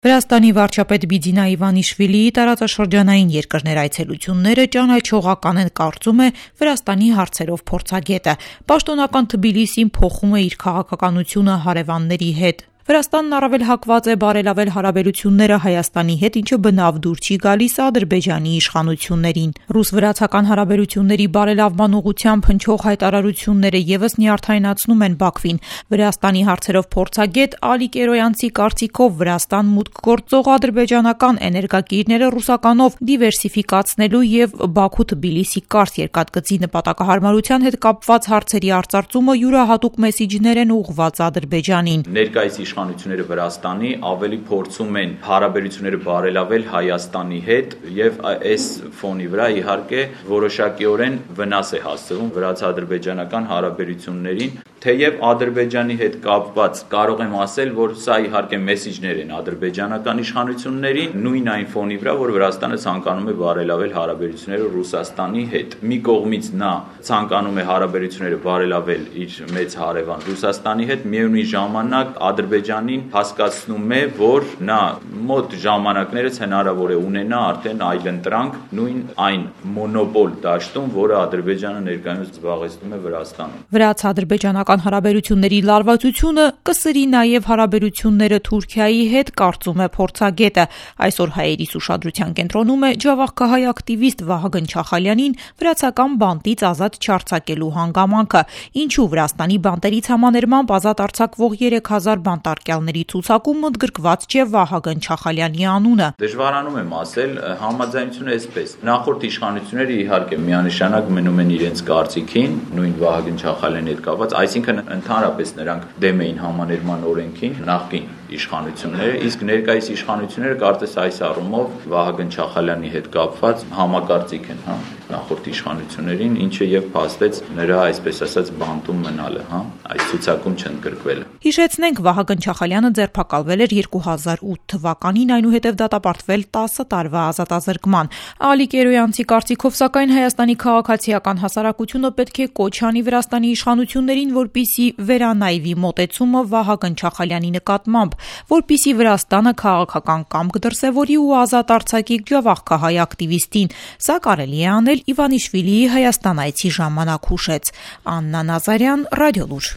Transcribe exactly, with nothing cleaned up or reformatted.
Վրաստանի վարչապետ Բիձինա Իվանիշվիլիի տարածաշրջանային երկրներ այցելությունները ճանաչողական են, կարծում է Վրաստանի հարցերով փորձագետը։ Պաշտոնական Թբիլիսին փոխում է իր քաղաքականությունը հարևանների հետ։ Վրաստանն առավել հակված է բարելավել հարաբերությունները Հայաստանի հետ, ինչը բնավ դուր չի գալիս Ադրբեջանի իշխանություններին։ Ռուս-վրացական հարաբերությունների բարելավման ուղղությամբ հնչող հայտարարությունները ևս նյարդայնացնում են Բաքվին։ Վրաստանի հարցերով փորձագետ Ալի Կերոյանցի կարծիքով Վրաստան մուտք գործող ադրբեջանական էներգակիրները ռուսականով դիվերսիֆիկացնելու եւ Բաքու-Թբիլիսի կարճ երկաթգծի նպատակահարմարության հետ կապված հարցերի արծարծումը յուրահատուկ մեսիջներ են ուղղված Ադրբեջանին։ Ներկայիս իշխանությունները Վրաստանի ավելի փորձում են հարաբերությունները բարելավել Հայաստանի հետ եւ այս ֆոնի վրա իհարկե որոշակիորեն վնաս է հասցվում վրաց-ադրբեջանական հարաբերություններին, թեև Ադրբեջանի հետ կապված կարող եմ ասել, որ սա իհարկե մեսիջներ են ադրբեջանական իշխանություններին, նույն այն ֆոնի վրա, որ Վրաստանը ցանկանում է բարելավել հարաբերությունները Ռուսաստանի հետ։ Մի կողմից նա ցանկանում է հարաբերությունները բարելավել իր մեծ հարևան Ռուսաստանի հետ, միևնույն ժամանակ Ադրբեջանին հասկացնում է, որ նա մոտ ժամանակներս հնարավոր է ունենա արդեն այլընտրանք նույն այն մոնոպոլ դաշտում, որը Ադրբեջանը ներկայումս զբաղեցնում է Վրաստանում։ Վրաց-ադրբեջանական հարաբերությունների լարվածությունը կսրի նաև հարաբերությունները Թուրքիայի հետ, կարծում է փորձագետը։ Այսօր հայերիս ուշադրության կենտրոնում է ջավախքահայ ակտիվիստ Վահագն Չախալյանին վրացական բանտից ազատ չարձակելու հանգամանքը։ Ինչու Վրաստանի բանտերից համաներմամբ ազատ արձակվող երեք հազար բանտարկյալների ցուցակում ընդգրկված չէ Վահագն Չախալյանի անունը։ Դժվարանում եմ ասել, համաձայնությունը այսպես։ Նախորդ իշխանությունները իհարկե միանշանակ մնում են իրենց կարծիքին, նույն Վահագն Չախալյանի հետ կապված, այսինքն ընդհանրապես նրանք դեմ էին համաներման օրենքին, նախկին իշխանությունները, իսկ ներկայիս իշխանությունները կարծես այս առումով Վահագն Չախալյանի հետ կապված համակարծիք են, հա, նախորդ իշխանություններին, ինչը եւ փաստեց նրա, այսպես ասած, բանտում մնալը, հա, այս ցուցակում չընդգրկվելը։ Հիշեցնենք, Վահագն Չախալյանը ձերբակալվել էր երկու հազար ութ թվականին, այնուհետև դատապարտվել տասը տարվա ազատազրկման։ Ալի Կերոյանցի կարծիքով, սակայն Հայաստանի քաղաքացիական հասարակությունը պետք է կոչ անի Վրաստանի իշխանություններին, որպեսզի վերանայվի մոտեցումը Վահագն Չախալյանի նկատմամբ, որպեսզի Վրաստանը քաղաքական կամք դրսևորի ու ազատ արձակի ջավախքահայ ակտիվիստին։ Սա կարելի է անել Իվանիշվիլիի Հայաստան այցի ժամանակ, հուշեց Աննա Նազարյան, Ռադիոլուր։